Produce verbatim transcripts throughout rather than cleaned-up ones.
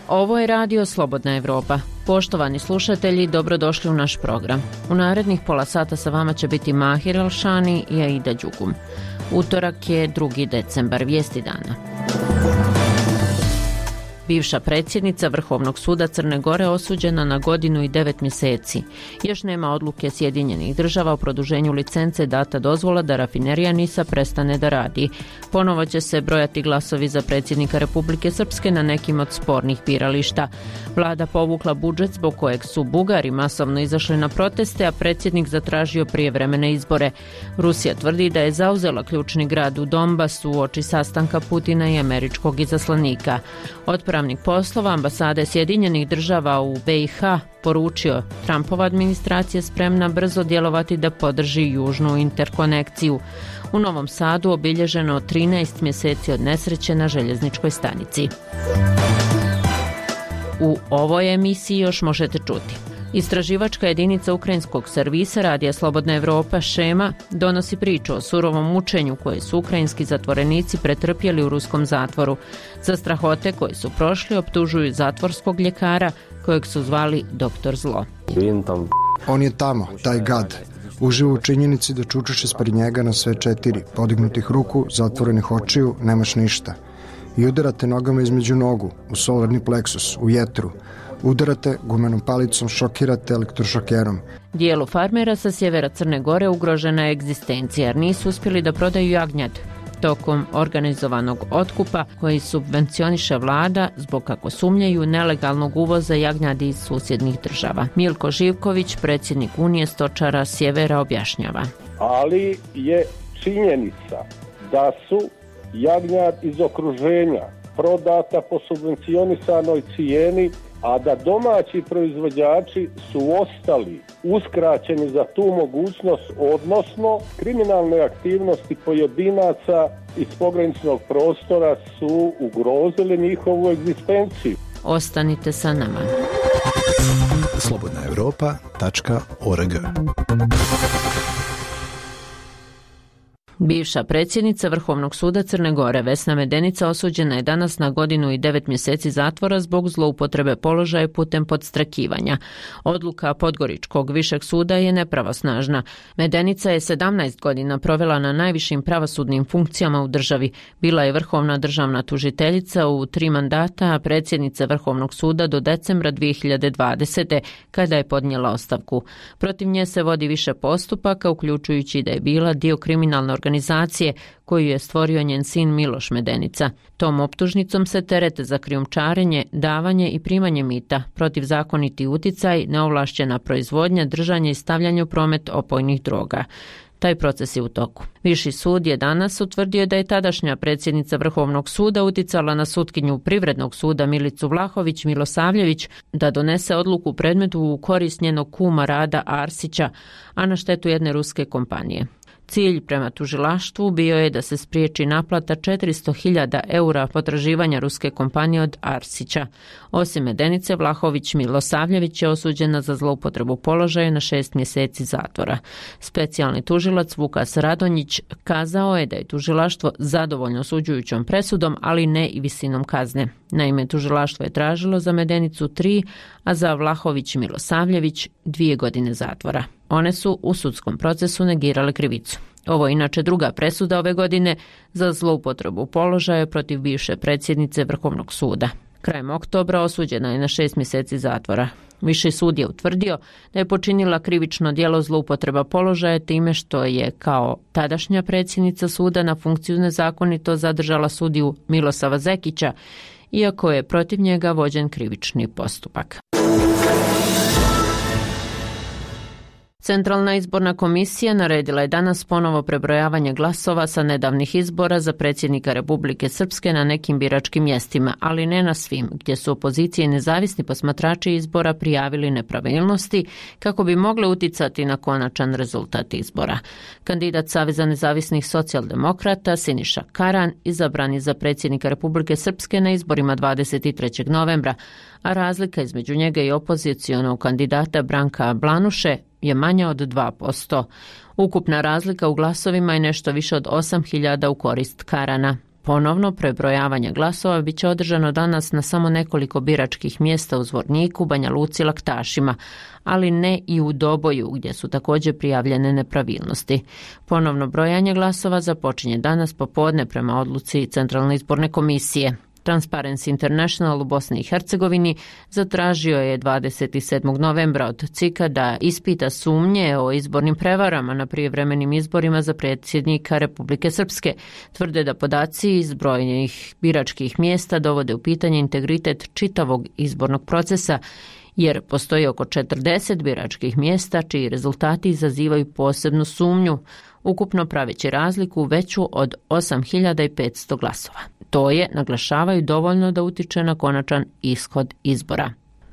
Ovo je radio Slobodna Evropa. Poštovani slušatelji, dobrodošli u naš program. U narednih pola sata sa vama će biti Mahir Alšani i Aida Đugum. Utorak je drugi decembar, vijesti dana. Bivša predsjednica Vrhovnog suda Crne Gore osuđena na godinu i devet mjeseci. Još nema odluke Sjedinjenih država o produženju licence, data dozvola da rafinerija Nisa prestane da radi. Ponovo će se brojati glasovi za predsjednika Republike Srpske na nekim od spornih birališta. Vlada povukla budžet zbog kojeg su Bugari masovno izašli na proteste, a predsjednik zatražio prijevremene izbore. Rusija tvrdi da je zauzela ključni grad u Donbasu uoči sastanka Putina i američkog izaslanika. Otpravnik poslova ambasade Sjedinjenih država u B i H poručio, Trumpova administracija spremna brzo djelovati da podrži južnu interkonekciju. U Novom Sadu obilježeno trinaest mjeseci od nesreće na željezničkoj stanici. U ovoj emisiji još možete čuti. Istraživačka jedinica ukrajinskog servisa Radija Slobodna Evropa Šema donosi priču o surovom mučenju koje su ukrajinski zatvorenici pretrpjeli u ruskom zatvoru. Za strahote koje su prošli optužuju zatvorskog ljekara kojeg su zvali doktor Zlo. On je tamo, taj gad. Uživa u činjenici da čučeš ispred njega na sve četiri, podignutih ruku, zatvorenih očiju, nemaš ništa. I udarate nogama između nogu, u solarni pleksus, u jetru. Udarate gumenom palicom, šokirate elektrošokerom. Dijelu farmera sa sjevera Crne Gore ugrožena je egzistencija jer nisu uspjeli da prodaju jagnjad tokom organizovanog otkupa koji subvencioniše vlada zbog, kako sumnjaju, nelegalnog uvoza jagnjadi iz susjednih država. Milko Živković, predsjednik Unije stočara sjevera, objašnjava. Ali je činjenica da su jagnjad iz okruženja prodata po subvencionisanoj cijeni, a da domaći proizvođači su ostali uskraćeni za tu mogućnost, odnosno kriminalne aktivnosti pojedinaca iz pograničnog prostora su ugrozili njihovu egzistenciju. Ostanite sa nama. slobodna europa tačka org. Bivša predsjednica Vrhovnog suda Crne Gore Vesna Medenica osuđena je danas na godinu i devet mjeseci zatvora zbog zloupotrebe položaja putem podstrakivanja. Odluka Podgoričkog višeg suda je nepravosnažna. Medenica je sedamnaest godina provela na najvišim pravosudnim funkcijama u državi. Bila je vrhovna državna tužiteljica u tri mandata, a predsjednica Vrhovnog suda do decembra dvije hiljade dvadesete. kada je podnijela ostavku. Protiv nje se vodi više postupaka, uključujući da je bila dio kriminalne organizacije koju je stvorio njen sin Miloš Medenica. Tom optužnicom se terete za krijumčarenje, davanje i primanje mita, protivzakoniti uticaj, neovlašćena proizvodnja, držanje i stavljanje u promet opojnih droga. Taj proces je u toku. Viši sud je danas utvrdio da je tadašnja predsjednica Vrhovnog suda uticala na sutkinju Privrednog suda Milicu Vlahović Milosavljević da donese odluku u predmetu u korist njenog kuma Rada Arsića, a na štetu jedne ruske kompanije. Cilj prema tužilaštvu bio je da se spriječi naplata četiristo hiljada eura potraživanja ruske kompanije od Arsića. Osim Medenice, Vlahović Milosavljević je osuđena za zloupotrebu položaja na šest mjeseci zatvora. Specijalni tužilac Vukas Radonjić kazao je da je tužilaštvo zadovoljno osuđujućom presudom, ali ne i visinom kazne. Naime, tužilaštvo je tražilo za Medenicu tri, a za Vlahović Milosavljević dvije godine zatvora. One su u sudskom procesu negirale krivicu. Ovo je inače druga presuda ove godine za zloupotrebu položaja protiv bivše predsjednice Vrhovnog suda. Krajem oktobra osuđena je na šest mjeseci zatvora. Viši sud je utvrdio da je počinila krivično djelo zloupotreba položaja time što je kao tadašnja predsjednica suda na funkciju nezakonito zadržala sudiju Milosava Zekića, iako je protiv njega vođen krivični postupak. Centralna izborna komisija naredila je danas ponovo prebrojavanje glasova sa nedavnih izbora za predsjednika Republike Srpske na nekim biračkim mjestima, ali ne na svim, gdje su opozicije i nezavisni posmatrači izbora prijavili nepravilnosti kako bi mogle uticati na konačan rezultat izbora. Kandidat Saveza nezavisnih socijaldemokrata Siniša Karan izabran je za predsjednika Republike Srpske na izborima dvadeset trećeg novembra, a razlika između njega i opozicijonog kandidata Branka Blanuše je manja od dva posto. Ukupna razlika u glasovima je nešto više od osam hiljada u korist Karana. Ponovno prebrojavanje glasova bit će održano danas na samo nekoliko biračkih mjesta u Zvorniku, Banja Luci i Laktašima, ali ne i u Doboju gdje su također prijavljene nepravilnosti. Ponovno brojanje glasova započinje danas popodne prema odluci Centralne izborne komisije. Transparency International u Bosni i Hercegovini zatražio je dvadeset sedmog novembra od C I K-a da ispita sumnje o izbornim prevarama na prijevremenim izborima za predsjednika Republike Srpske. Tvrde da podaci iz brojnih biračkih mjesta dovode u pitanje integritet čitavog izbornog procesa, jer postoji oko četrdeset biračkih mjesta čiji rezultati izazivaju posebnu sumnju, ukupno praveći razliku veću od osam hiljada petsto glasova. To je, naglašavaju, dovoljno da utiče na konačan ishod izbora.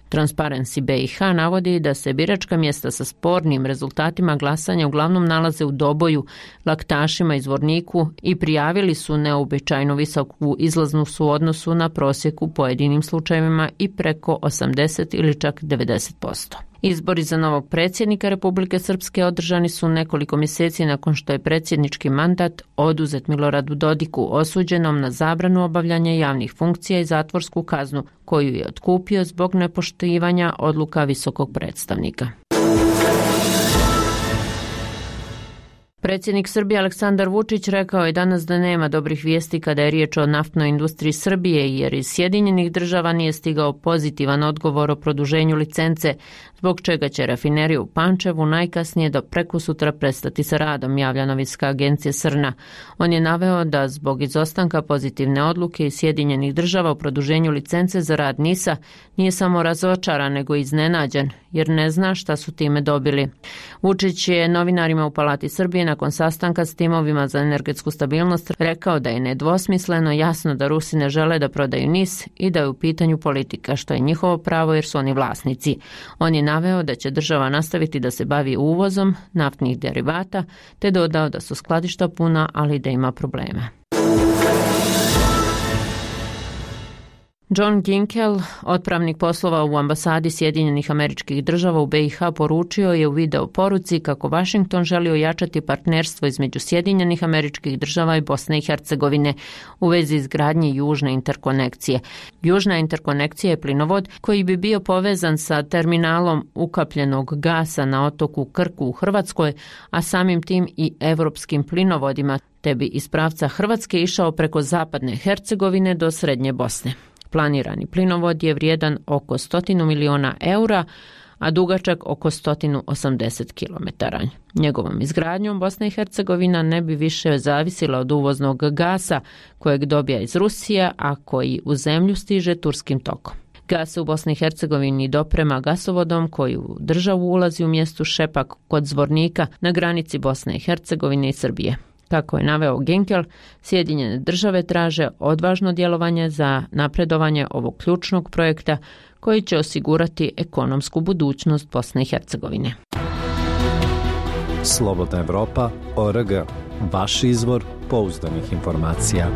Transparency B i H navodi da se biračka mjesta sa spornim rezultatima glasanja uglavnom nalaze u Doboju, Laktašima i Zvorniku i prijavili su neobičajno visoku izlaznu su u odnosu na prosjek u pojedinim slučajevima i preko osamdeset ili čak devedeset posto. Izbori za novog predsjednika Republike Srpske održani su nekoliko mjeseci nakon što je predsjednički mandat oduzet Miloradu Dodiku, osuđenom na zabranu obavljanja javnih funkcija i zatvorsku kaznu, koju je otkupio zbog nepoštivanja odluka visokog predstavnika. Predsjednik Srbije Aleksandar Vučić rekao je danas da nema dobrih vijesti kada je riječ o naftnoj industriji Srbije, jer iz Sjedinjenih država nije stigao pozitivan odgovor o produženju licence, zbog čega će rafinerija u Pančevu najkasnije do prekosutra prestati sa radom, javlja novinska agencija Srna. On je naveo da zbog izostanka pozitivne odluke iz Sjedinjenih država o produženju licence za rad NIS-a nije samo razočaran, nego iznenađen, jer ne zna šta su time dobili. Vučić je novinarima u Palati Srbije nakon sastanka s timovima za energetsku stabilnost rekao da je nedvosmisleno jasno da Rusi ne žele da prodaju NIS i da je u pitanju politika, što je njihovo pravo jer su oni vlasnici. On je naveo da će država nastaviti da se bavi uvozom naftnih derivata, te dodao da su skladišta puna, ali da ima problema. John Ginkel, otpravnik poslova u ambasadi Sjedinjenih Američkih Država u B i H, poručio je u video poruci kako Washington želi ojačati partnerstvo između Sjedinjenih Američkih Država i Bosne i Hercegovine u vezi izgradnje južne interkonekcije. Južna interkonekcija je plinovod koji bi bio povezan sa terminalom ukapljenog gasa na otoku Krku u Hrvatskoj, a samim tim i evropskim plinovodima, te bi iz pravca Hrvatske išao preko zapadne Hercegovine do srednje Bosne. Planirani plinovod je vrijedan oko stotinu miliona eura, a dugačak oko sto osamdeset kilometara. Njegovom izgradnjom Bosna i Hercegovina ne bi više zavisila od uvoznog gasa kojeg dobija iz Rusije, a koji u zemlju stiže turskim tokom. Gas se u Bosni i Hercegovini doprema gasovodom koji u državu ulazi u mjestu Šepak kod Zvornika na granici Bosne i Hercegovine i Srbije. Kako je naveo Ginkel, Sjedinjene države traže odvažno djelovanje za napredovanje ovog ključnog projekta koji će osigurati ekonomsku budućnost Bosne i Hercegovine. Slobodna Evropa, O R G, vaš izvor pouzdanih informacija.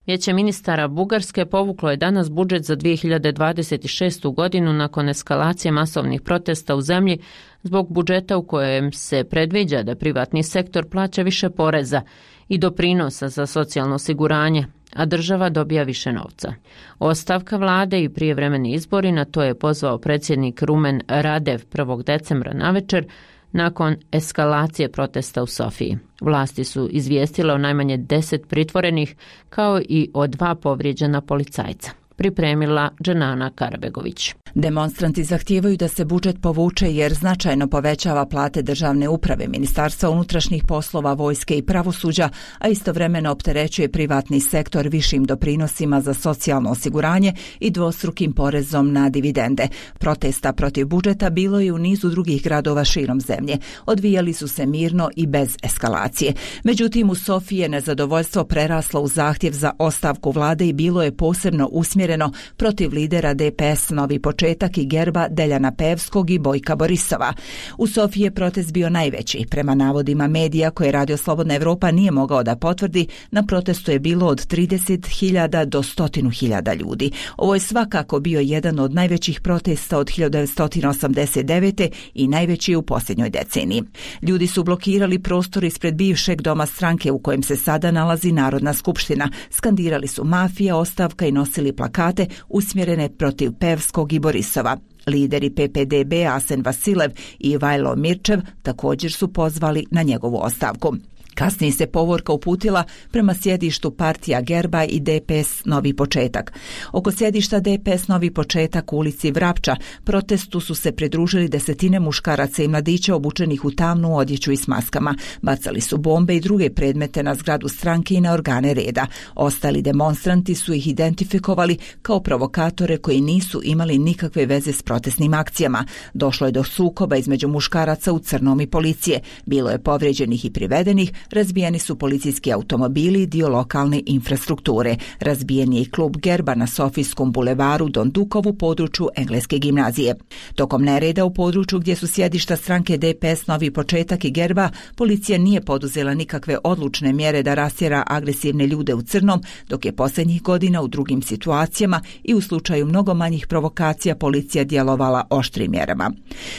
Vijeće ministara Bugarske povuklo je danas budžet za dvije hiljade dvadeset šestu godinu nakon eskalacije masovnih protesta u zemlji zbog budžeta u kojem se predviđa da privatni sektor plaća više poreza i doprinosa za socijalno osiguranje, a država dobija više novca. Ostavka vlade i prijevremeni izbori, na to je pozvao predsjednik Rumen Radev prvog decembra navečer, nakon eskalacije protesta u Sofiji. Vlasti su izvijestile o najmanje deset pritvorenih kao i o dva povrijeđena policajca. Pripremila Dženana Karabegović. Demonstranti zahtijevaju da se budžet povuče jer značajno povećava plate državne uprave, ministarstva unutrašnjih poslova, vojske i pravosuđa, a istovremeno opterećuje privatni sektor višim doprinosima za socijalno osiguranje i dvostrukim porezom na dividende. Protesta protiv budžeta bilo je u nizu drugih gradova širom zemlje. Odvijali su se mirno i bez eskalacije. Međutim, u Sofiji je nezadovoljstvo preraslo u zahtjev za ostavku vlade i bilo je posebno usmjereno usmjereno protiv lidera D P S Novi početak i Gerba Deljana Pevskog i Bojka Borisova. U Sofiji je protest bio najveći. Prema navodima medija koje Radio Slobodna Evropa nije mogao da potvrdi, na protestu je bilo od trideset hiljada do sto hiljada ljudi. Ovo je svakako bio jedan od najvećih protesta od hiljadu devetsto osamdeset devete i najveći u posljednjoj deceniji. Ljudi su blokirali prostor ispred bivšeg doma stranke u kojem se sada nalazi Narodna skupština. Skandirali su mafija, ostavka i nosili plakate usmjerene protiv Pevskog i Borisova. Lideri P P D B Asen Vasilev i Vajlo Mirčev također su pozvali na njegovu ostavku. Kasnije se povorka uputila prema sjedištu partija Gerba i D P S Novi početak. Oko sjedišta D P S Novi početak u ulici Vrapča protestu su se pridružili desetine muškaraca i mladića obučenih u tamnu odjeću i s maskama. Bacali su bombe i druge predmete na zgradu stranke i na organe reda. Ostali demonstranti su ih identifikovali kao provokatore koji nisu imali nikakve veze s protestnim akcijama. Došlo je do sukoba između muškaraca u crnom i policije. Bilo je povrijeđenih i privedenih. Razbijeni su policijski automobili i dio lokalne infrastrukture. Razbijen je i klub Gerba na Sofijskom bulevaru Don Dukovu području Engleske gimnazije. Tokom nereda u području gdje su sjedišta stranke D P S Novi početak i Gerba, policija nije poduzela nikakve odlučne mjere da rastjera agresivne ljude u crnom, dok je posljednjih godina u drugim situacijama i u slučaju mnogo manjih provokacija policija djelovala oštrim mjerama.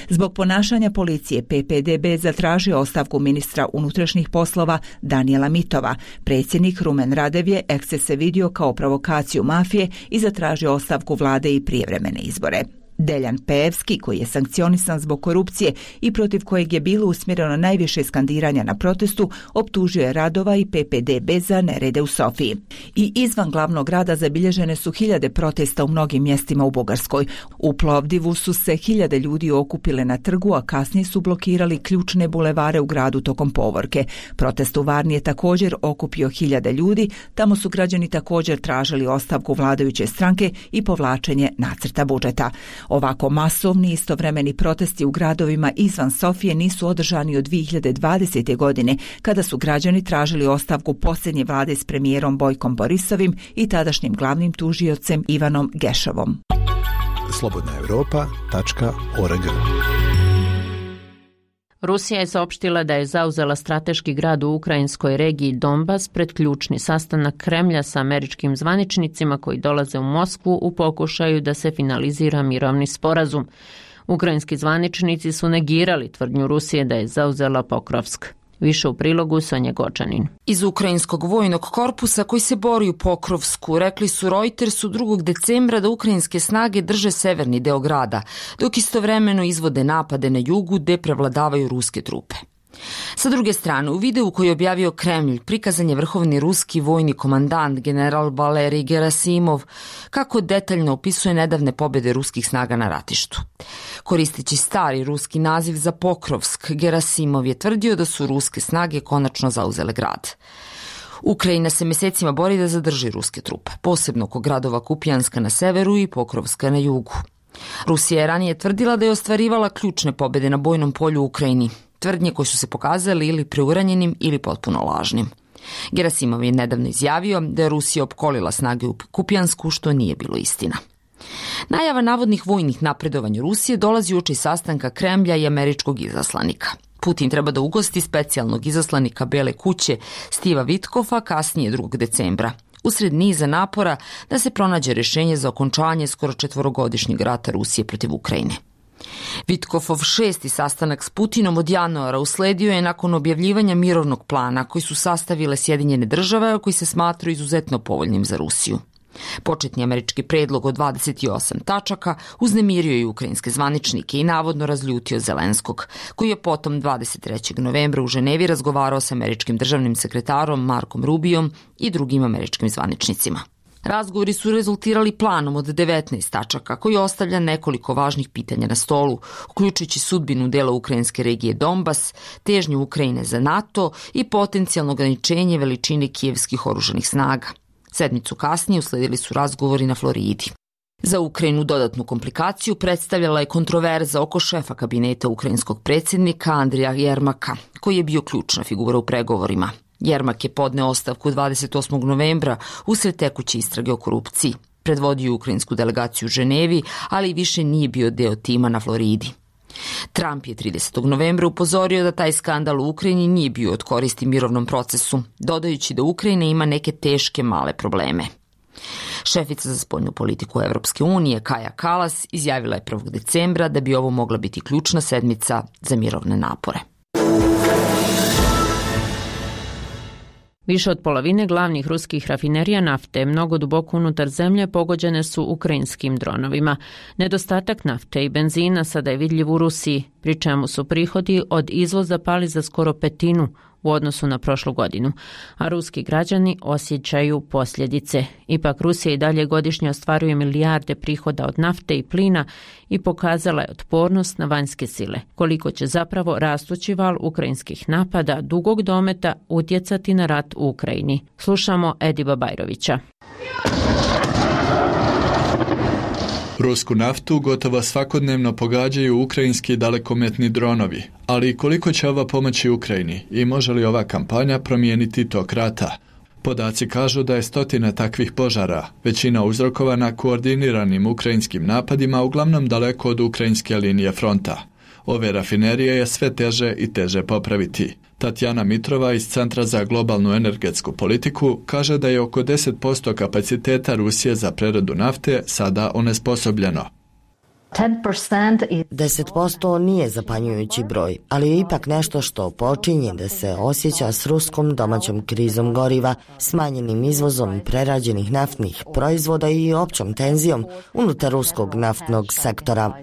Zbog ponašanja policije P P D B zatražio ostavku ministra unutrašnjih poslova Danijela Mitova. Predsjednik Rumen Radev je ekscese vidio kao provokaciju mafije i zatražio ostavku vlade i prijevremene izbore. Deljan Pevski, koji je sankcionisan zbog korupcije i protiv kojeg je bilo usmjereno najviše skandiranja na protestu, optužio je Radova i P P D B za nerede u Sofiji. I izvan glavnog grada zabilježene su hiljade protesta u mnogim mjestima u Bugarskoj. U Plovdivu su se hiljade ljudi okupile na trgu, a kasnije su blokirali ključne bulevare u gradu tokom povorke. Protest u Varni je također okupio hiljade ljudi. Tamo su građani također tražili ostavku vladajuće stranke i povlačenje nacrta budžeta. Ovako masovni istovremeni protesti u gradovima izvan Sofije nisu održani od dvije hiljade dvadesete. godine, kada su građani tražili ostavku posljednje vlade s premijerom Bojkom Borisovim i tadašnjim glavnim tužiocem Ivanom Gešovom. slobodna europa tačka org. Rusija je saopštila da je zauzela strateški grad u ukrajinskoj regiji Donbas pred ključni sastanak Kremlja sa američkim zvaničnicima koji dolaze u Moskvu u pokušaju da se finalizira mirovni sporazum. Ukrajinski zvaničnici su negirali tvrdnju Rusije da je zauzela Pokrovsk. Više u prilogu Sonja Gočanin. Iz ukrajinskog vojnog korpusa koji se bori u Pokrovsku rekli su Reutersu drugog decembra da ukrajinske snage drže severni deo grada, dok istovremeno izvode napade na jugu gde prevladavaju ruske trupe. Sa druge strane, u videu koji je objavio Kremlj prikazan je vrhovni ruski vojni komandant general Valerij Gerasimov kako detaljno opisuje nedavne pobjede ruskih snaga na ratištu. Koristeći stari ruski naziv za Pokrovsk, Gerasimov je tvrdio da su ruske snage konačno zauzele grad. Ukrajina se mjesecima bori da zadrži ruske trupe, posebno oko gradova Kupijanska na severu i Pokrovska na jugu. Rusija je ranije tvrdila da je ostvarivala ključne pobjede na bojnom polju u Ukrajini, tvrdnje koje su se pokazali ili preuranjenim ili potpuno lažnim. Gerasimov je nedavno izjavio da je Rusija opkolila snage u Kupijansku, što nije bilo istina. Najava navodnih vojnih napredovanja Rusije dolazi uoči sastanka Kremlja i američkog izaslanika. Putin treba da ugosti specijalnog izaslanika Bele kuće Stiva Vitkova kasnije drugog decembra, usred niza napora da se pronađe rješenje za okončanje skoro četvorogodišnjeg rata Rusije protiv Ukrajine. Vitkovov šesti sastanak s Putinom od januara usledio je nakon objavljivanja mirovnog plana koji su sastavile Sjedinjene države, koji se smatraju izuzetno povoljnim za Rusiju. Početni američki predlog od dvadeset osam tačaka uznemirio je ukrajinske zvaničnike i navodno razljutio Zelenskog, koji je potom dvadeset trećeg novembra u Ženevi razgovarao s američkim državnim sekretarom Markom Rubijom i drugim američkim zvaničnicima. Razgovori su rezultirali planom od devetnaest tačaka koji ostavlja nekoliko važnih pitanja na stolu, uključujući sudbinu dela ukrajinske regije Donbas, težnju Ukrajine za NATO i potencijalno ograničenje veličine kijevskih oružanih snaga. Sedmicu kasnije usledili su razgovori na Floridi. Za Ukrajinu dodatnu komplikaciju predstavljala je kontroverza oko šefa kabineta ukrajinskog predsjednika Andrija Jermaka, koji je bio ključna figura u pregovorima. Jermak je podneo ostavku dvadeset osmog novembra usred tekuće istrage o korupciji. Predvodio ukrajinsku delegaciju u Ženevi, ali više nije bio deo tima na Floridi. Trump je tridesetog novembra upozorio da taj skandal u Ukrajini nije bio od koristi mirovnom procesu, dodajući da Ukrajina ima neke teške male probleme. Šefica za spoljnu politiku Evropske unije Kaja Kalas izjavila je prvog decembra da bi ovo mogla biti ključna sedmica za mirovne napore. Više od polovine glavnih ruskih rafinerija nafte, mnogo duboko unutar zemlje, pogođene su ukrajinskim dronovima. Nedostatak nafte i benzina sada je vidljiv u Rusiji, pri čemu su prihodi od izvoza pali za skoro petinu u odnosu na prošlu godinu, a ruski građani osjećaju posljedice. Ipak Rusija i dalje godišnje ostvaruje milijarde prihoda od nafte i plina i pokazala je otpornost na vanjske sile. Koliko će zapravo rastući val ukrajinskih napada dugog dometa utjecati na rat u Ukrajini? Slušamo Ediba Bajrovića. Rusku naftu gotovo svakodnevno pogađaju ukrajinski dalekometni dronovi, ali koliko će ova pomoći Ukrajini i može li ova kampanja promijeniti tok rata? Podaci kažu da je stotina takvih požara, većina uzrokovana koordiniranim ukrajinskim napadima, uglavnom daleko od ukrajinske linije fronta. Ove rafinerije je sve teže i teže popraviti. Tatjana Mitrova iz Centra za globalnu energetsku politiku kaže da je oko deset posto kapaciteta Rusije za preradu nafte sada onesposobljeno. deset posto nije zapanjujući broj, ali je ipak nešto što počinje da se osjeća s ruskom domaćom krizom goriva, smanjenim izvozom prerađenih naftnih proizvoda i općom tenzijom unutar ruskog naftnog sektora.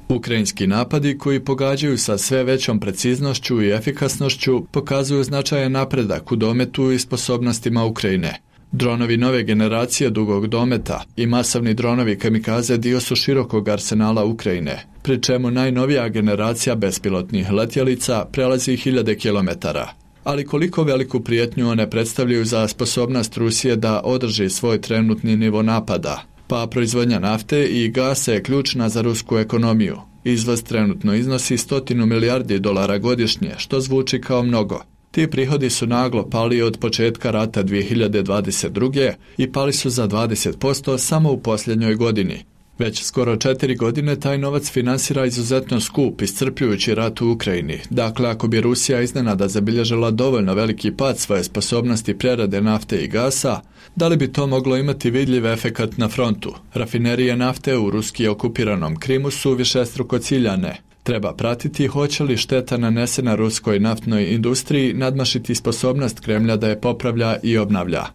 Ukrajinski napadi koji pogađaju sa sve većom preciznošću i efikasnošću pokazuju značajan napredak u dometu i sposobnostima Ukrajine. Dronovi nove generacije dugog dometa i masovni dronovi kamikaze dio su širokog arsenala Ukrajine, pri čemu najnovija generacija bespilotnih letjelica prelazi hiljade kilometara. Ali koliko veliku prijetnju one predstavljaju za sposobnost Rusije da održi svoj trenutni nivo napada? Pa proizvodnja nafte i gasa je ključna za rusku ekonomiju. Izvoz trenutno iznosi stotinu milijardi dolara godišnje, što zvuči kao mnogo. Ti prihodi su naglo pali od početka rata dvije hiljade dvadeset druge i pali su za dvadeset posto samo u posljednjoj godini. Već skoro četiri godine taj novac finansira izuzetno skup, iscrpljujući rat u Ukrajini. Dakle, ako bi Rusija iznenada zabilježila dovoljno veliki pad svoje sposobnosti prerade nafte i gasa, da li bi to moglo imati vidljiv efekat na frontu? Rafinerije nafte u ruski okupiranom Krimu su višestruko ciljane. Treba pratiti hoće li šteta nanesena ruskoj naftnoj industriji nadmašiti sposobnost Kremlja da je popravlja i obnavlja.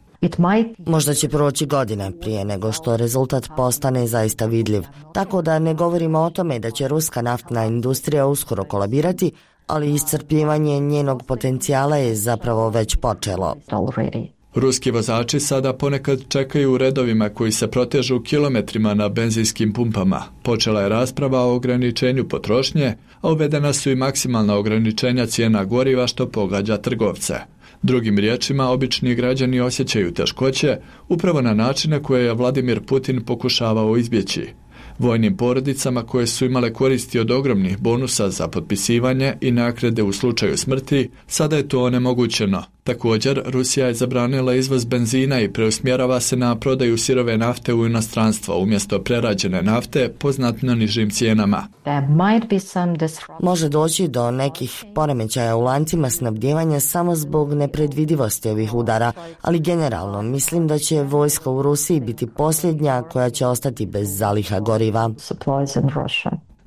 Možda će proći godine prije nego što rezultat postane zaista vidljiv, tako da ne govorimo o tome da će ruska naftna industrija uskoro kolabirati, ali iscrpljivanje njenog potencijala je zapravo već počelo. Ruski vozači sada ponekad čekaju u redovima koji se protežu kilometrima na benzinskim pumpama. Počela je rasprava o ograničenju potrošnje, a uvedena su i maksimalna ograničenja cijena goriva što pogađa trgovce. Drugim riječima, obični građani osjećaju teškoće upravo na načine koje je Vladimir Putin pokušavao izbjeći. Vojnim porodicama koje su imale koristi od ogromnih bonusa za potpisivanje i naknade u slučaju smrti, sada je to onemogućeno. Također, Rusija je zabranila izvoz benzina i preusmjerava se na prodaju sirove nafte u inostranstvo umjesto prerađene nafte po znatno nižim cijenama. Može doći do nekih poremećaja u lancima snabdijevanja samo zbog nepredvidivosti ovih udara, ali generalno mislim da će vojska u Rusiji biti posljednja koja će ostati bez zaliha goriva.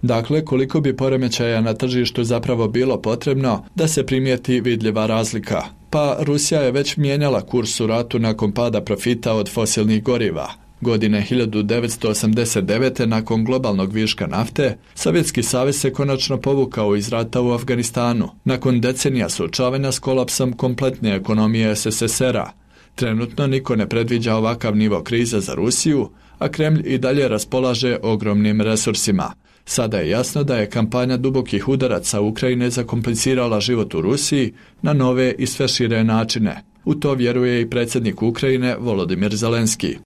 Dakle, koliko bi poremećaja na tržištu zapravo bilo potrebno da se primijeti vidljiva razlika? Pa Rusija je već mijenjala kurs u ratu nakon pada profita od fosilnih goriva. Godine hiljadu devetsto osamdeset devete nakon globalnog viška nafte, Sovjetski savez se konačno povukao iz rata u Afganistanu, nakon decenija suočavanja s kolapsom kompletne ekonomije es es es era. Trenutno niko ne predviđa ovakav nivo krize za Rusiju, a Kremlj i dalje raspolaže ogromnim resursima. Sada je jasno da je kampanja dubokih udaraca Ukrajine zakomplicirala život u Rusiji na nove i sve šire načine. U to vjeruje i predsjednik Ukrajine Volodimir Zelenski.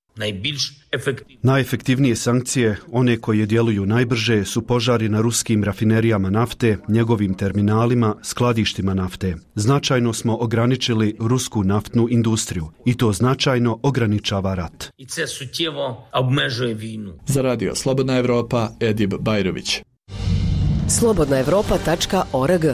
Najefektivnije sankcije, one koje djeluju najbrže, su požari na ruskim rafinerijama nafte, njegovim terminalima, skladištima nafte. Značajno smo ograničili rusku naftnu industriju i to značajno ograničava rat. Za radio Slobodna Evropa, Edib Bajrović. slobodna evropa tačka org.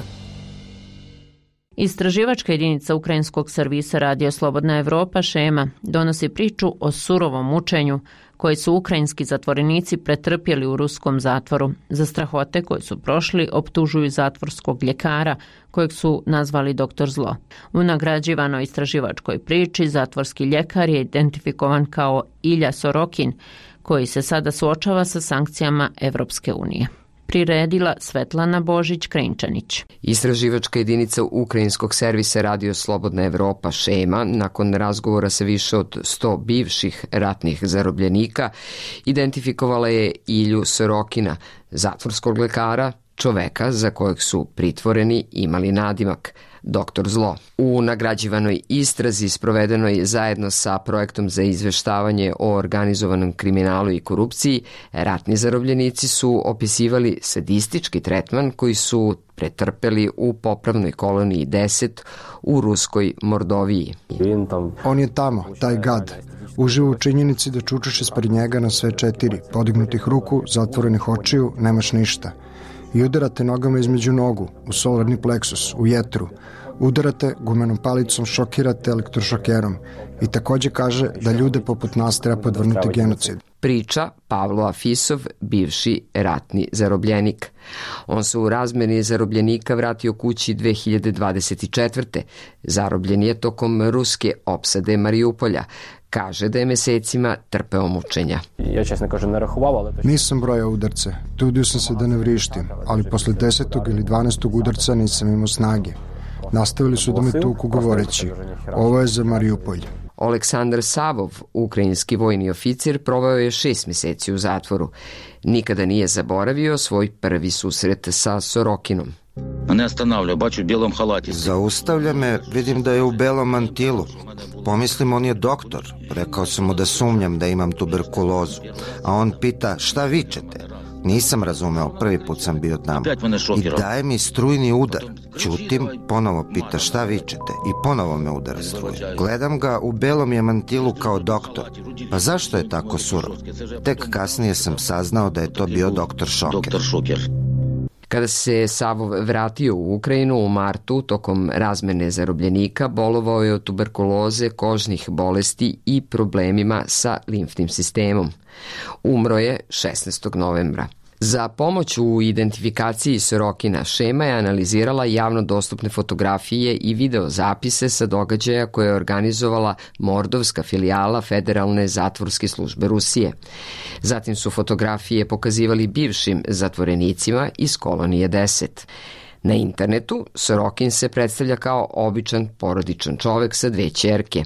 Istraživačka jedinica ukrajinskog servisa Radio Slobodna Evropa Šema donosi priču o surovom mučenju koje su ukrajinski zatvorenici pretrpjeli u ruskom zatvoru. Za strahote koje su prošli optužuju zatvorskog ljekara kojeg su nazvali doktor Zlo. U nagrađivanoj istraživačkoj priči zatvorski ljekar je identifikovan kao Ilja Sorokin, koji se sada suočava sa sankcijama Evropske unije. Priredila Svetlana Božić-Krenčanić. Istraživačka jedinica ukrajinskog servisa Radio Slobodna Evropa Šema, nakon razgovora sa više od sto bivših ratnih zarobljenika, identifikovala je Ilju Sorokina, zatvorskog lekara, čoveka za kojeg su pritvoreni imali nadimak doktor Zlo. U nagrađivanoj istrazi sprovedenoj zajedno sa projektom za izveštavanje o organizovanom kriminalu i korupciji, ratni zarobljenici su opisivali sadistički tretman koji su pretrpeli u popravnoj koloniji deset u ruskoj Mordoviji. On je tamo, taj gad. Uživa u činjenici da čučaš ispred njega na sve četiri, podignutih ruku, zatvorenih očiju, nemaš ništa. I udarate nogama između nogu, u solarni pleksus, u jetru. Udarate gumenom palicom, šokirate elektrošokerom. I također kaže da ljude poput nas treba podvrnuti genocid. Priča Pavlo Afisov, bivši ratni zarobljenik. On se u razmjeni zarobljenika vratio kući dve hiljade dvadeset četvrte. Zarobljen je tokom ruske opsade Marijupolja. Kaže da je mesecima trpeo mučenja. Nisam brojao udarce, trudio sam se da ne vrištim, ali posle desetog ili dvanaestog udarca nisam imao snage. Nastavili su da me tuku govoreći, ovo je za Marijupolj. Oleksandar Savov, ukrajinski vojni oficir, proveo je šest mjeseci u zatvoru. Nikada nije zaboravio svoj prvi susret sa Sorokinom. Zaustavlja me, vidim da je u belom mantilu. Pomislim, on je doktor. Rekao sam mu da sumnjam da imam tuberkulozu. A on pita, šta vičete? Nisam razumeo, prvi put sam bio tamo. I daje mi strujni udar. Ćutim, ponovo pita šta vičete i ponovo me udara struje. Gledam ga, u belom je mantilu kao doktor. Pa zašto je tako surov? Tek kasnije sam saznao da je to bio doktor Šoker. Kada se Savov vratio u Ukrajinu u martu, tokom razmene zarobljenika, bolovao je od tuberkuloze, kožnih bolesti i problemima sa limfnim sistemom. Umro je šesnaestog novembra. Za pomoć u identifikaciji Sorokina Šema je analizirala javno dostupne fotografije i video zapise sa događaja koje je organizovala Mordovska filijala Federalne zatvorske službe Rusije. Zatim su fotografije pokazivali bivšim zatvorenicima iz kolonije deset. Na internetu Sorokin se predstavlja kao običan porodičan čovek sa dve ćerke.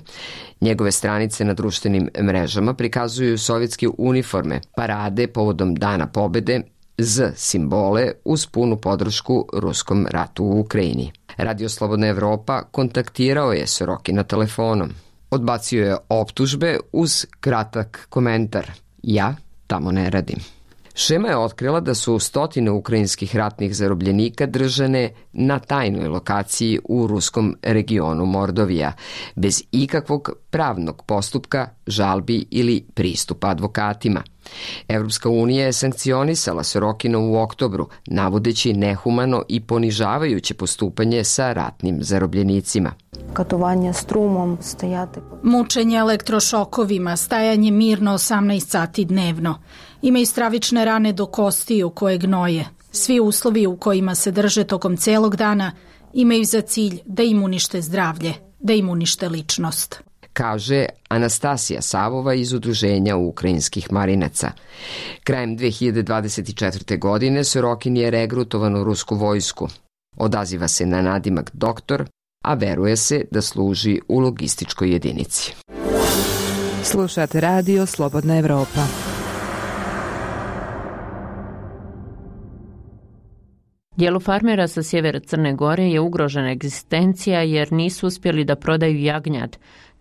Njegove stranice na društvenim mrežama prikazuju sovjetske uniforme, parade povodom Dana pobede, Z simbole uz punu podršku ruskom ratu u Ukrajini. Radio Slobodna Evropa kontaktirao je Sorokina telefonom. Odbacio je optužbe uz kratak komentar. Ja tamo ne radim. Šema je otkrila da su stotine ukrajinskih ratnih zarobljenika držane na tajnoj lokaciji u ruskom regionu Mordovija, bez ikakvog pravnog postupka, žalbi ili pristupa advokatima. Evropska unija je sankcionisala Sorokina u oktobru, navodeći nehumano i ponižavajuće postupanje sa ratnim zarobljenicima. Katovanje strumom, stajati... Mučenje elektrošokovima, stajanje mirno osamnaest sati dnevno. Imaju stravične rane do kostiju koje gnoje. Svi uslovi u kojima se drže tokom celog dana imaju za cilj da im unište zdravlje, da im unište ličnost. Kaže Anastasija Savova iz Udruženja ukrajinskih marinaca. Krajem dve hiljade dvadeset četvrte. godine Sorokin je regrutovan u rusku vojsku. Odaziva se na nadimak doktor, a veruje se da služi u logističkoj jedinici. Slušate radio Slobodna Evropa. Dijelu farmera sa sjevera Crne Gore je ugrožena egzistencija jer nisu uspjeli da prodaju jagnjad.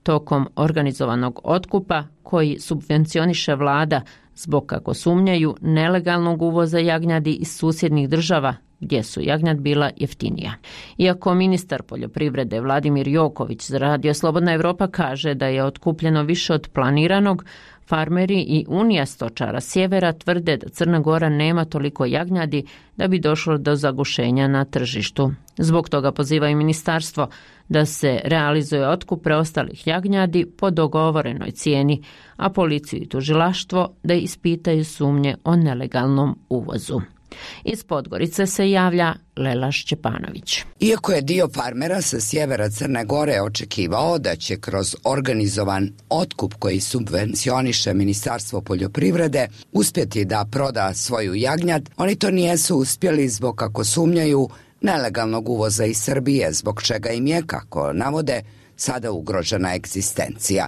tokom organizovanog otkupa koji subvencioniše vlada zbog, kako sumnjaju, nelegalnog uvoza jagnjadi iz susjednih država gdje su jagnjad bila jeftinija. Iako ministar poljoprivrede Vladimir Joković za Radio Slobodna Evropa kaže da je otkupljeno više od planiranog, farmeri i Unija stočara sjevera tvrde da Crna Gora nema toliko jagnjadi da bi došlo do zagušenja na tržištu. Zbog toga pozivaju ministarstvo da se realizuje otkup preostalih jagnjadi po dogovorenoj cijeni, a policiju i tužilaštvo da ispitaju sumnje o nelegalnom uvozu. Iz Podgorice se javlja Lela Šćepanović. Iako je dio farmera sa sjevera Crne Gore očekivao da će kroz organizovan otkup koji subvencioniše Ministarstvo poljoprivrede uspjeti da proda svoju jagnjad, oni to nijesu uspjeli zbog, kako sumnjaju, nelegalnog uvoza iz Srbije, zbog čega im je, kako navode, sada ugrožena egzistencija.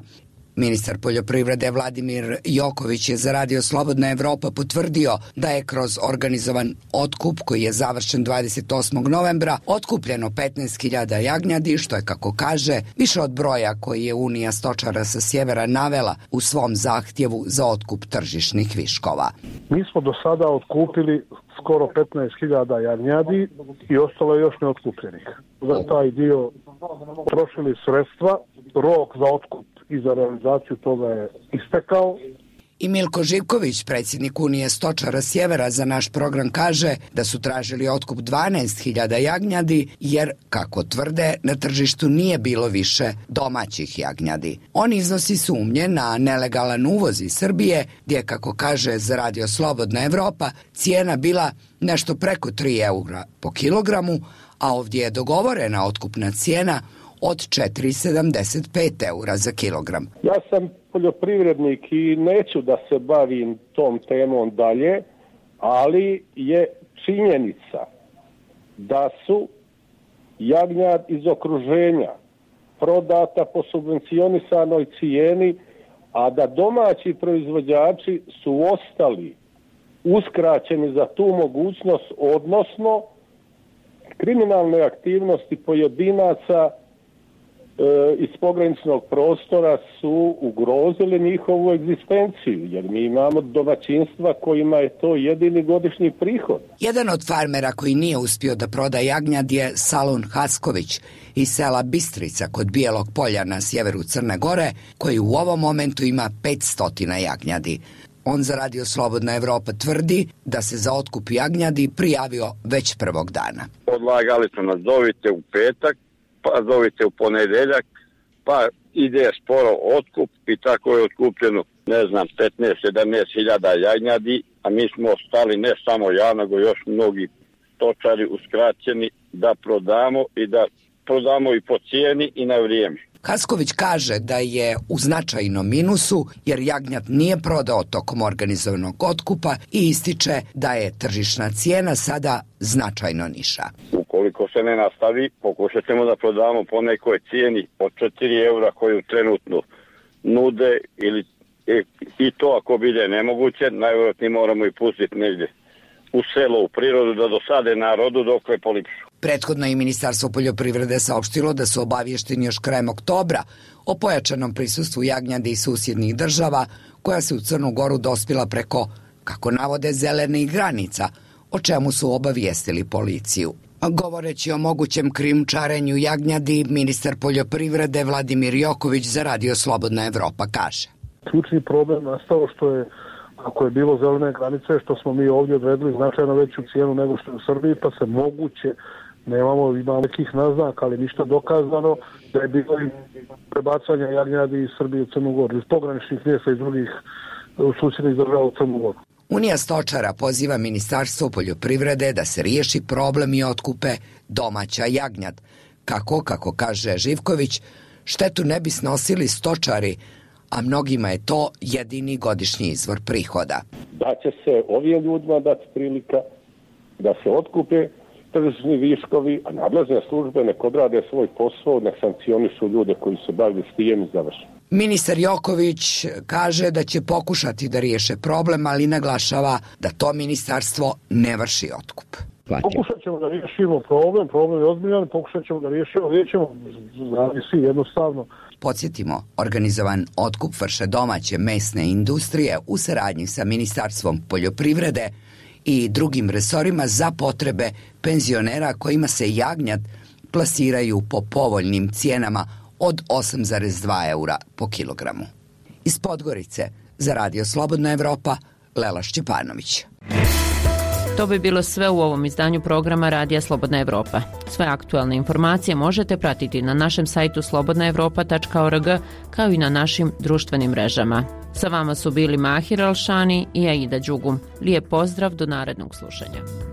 Ministar poljoprivrede Vladimir Joković je za Radio Slobodna Evropa potvrdio da je kroz organizovan otkup koji je završen dvadeset osmog novembra otkupljeno petnaest hiljada jagnjadi, što je, kako kaže, više od broja koji je Unija stočara sa sjevera navela u svom zahtjevu za otkup tržišnih viškova. Mi smo do sada otkupili skoro petnaest hiljada jagnjadi i ostalo je još neotkupljenih. Za taj dio trošili sredstva, rok za otkup i za realizaciju toga je istekao. I Milko Živković, predsjednik Unije stočara sjevera, za naš program kaže da su tražili otkup dvanaest hiljada jagnjadi jer, kako tvrde, na tržištu nije bilo više domaćih jagnjadi. On iznosi sumnje na nelegalan uvoz iz Srbije gdje, kako kaže za Radio Slobodna Evropa, cijena bila nešto preko tri eura po kilogramu, a ovdje je dogovorena otkupna cijena od četiri zarez sedamdeset pet eura za kilogram. Ja sam poljoprivrednik i neću da se bavim tom temom dalje, ali je činjenica da su jagnjad iz okruženja prodata po subvencionisanoj cijeni, a da domaći proizvođači su ostali uskraćeni za tu mogućnost, odnosno kriminalne aktivnosti pojedinaca iz pograničnog prostora su ugrozili njihovu egzistenciju, jer mi imamo domaćinstva kojima je to jedini godišnji prihod. Jedan od farmera koji nije uspio da proda jagnjad je Salun Hasković iz sela Bistrica kod Bijelog polja na sjeveru Crne Gore, koji u ovom momentu ima petsto jagnjadi. On za Radio Slobodna Evropa tvrdi da se za otkup jagnjadi prijavio već prvog dana. Odlagali su nas, zovite u petak, pa zovite u ponedeljak, pa ide sporo otkup i tako je otkupljeno, ne znam, petnaest sedamnaest hiljada jagnjadi, a mi smo ostali, ne samo ja, nego još mnogi stočari uskraćeni da prodamo i da prodamo i po cijeni i na vrijeme. Hasković kaže da je u značajnom minusu jer jagnjad nije prodao tokom organizovanog otkupa i ističe da je tržišna cijena sada značajno niša. Ukoliko se ne nastavi, pokušat ćemo da prodamo po nekoj cijeni od četiri eura koju trenutno nude, ili i to ako bide nemoguće, najvjerojatnije moramo i pustiti negdje u selo, u prirodu, da dosade narodu dok je polipšu. Prethodno i Ministarstvo poljoprivrede saopštilo da su obavješteni još krajem oktobra o pojačanom prisustvu jagnjadi iz susjednih država koja se u Crnu Goru dospila preko, kako navode, zelenih granica, o čemu su obavijestili policiju. Govoreći o mogućem krijumčarenju jagnjadi, ministar poljoprivrede Vladimir Joković za Radio Slobodna Evropa kaže: Ključni problem nastao što je, ako je bilo zelene granice, što smo mi ovdje odredili značajno veću cijenu nego što je u Srbiji, pa se moguće, nemamo, ima nekih naznaka, ali ništa dokazano, da je bilo i prebacanja jagnjadi iz Srbije u Crnu Goru, iz pograničnih mjesta iz drugih susjednih država u Crnu Goru. Unija stočara poziva Ministarstvo poljoprivrede da se riješi problem i otkupe domaća jagnjad. Kako, kako kaže Živković, štetu ne bi snosili stočari, a mnogima je to jedini godišnji izvor prihoda. Da će se ovim ljudima dati prilika da se otkupe tržišni viškovi, a nadležne službe nek odrade svoj posao, nek sankcionišu ljude koji se bavili s tim i završi. Ministar Joković kaže da će pokušati da riješe problem, ali naglašava da to ministarstvo ne vrši otkup. platio. Pokušat ćemo da riješimo problem, problem je ozbiljan, pokušat ćemo da riješimo, riješimo, zavisi jednostavno. Podsjetimo, organizovan otkup vrše domaće mesne industrije u saradnji sa Ministarstvom poljoprivrede i drugim resorima za potrebe penzionera kojima se jagnjad plasiraju po povoljnim cijenama od osam zarez dva eura po kilogramu. Iz Podgorice za Radio Slobodna Evropa, Lela Šćepanović. To bi bilo sve u ovom izdanju programa Radija Slobodna Evropa. Sve aktualne informacije možete pratiti na našem sajtu slobodna evropa tačka org kao i na našim društvenim mrežama. Sa vama su bili Mahir Alšani i Aida Đugum. Lijep pozdrav do narednog slušanja.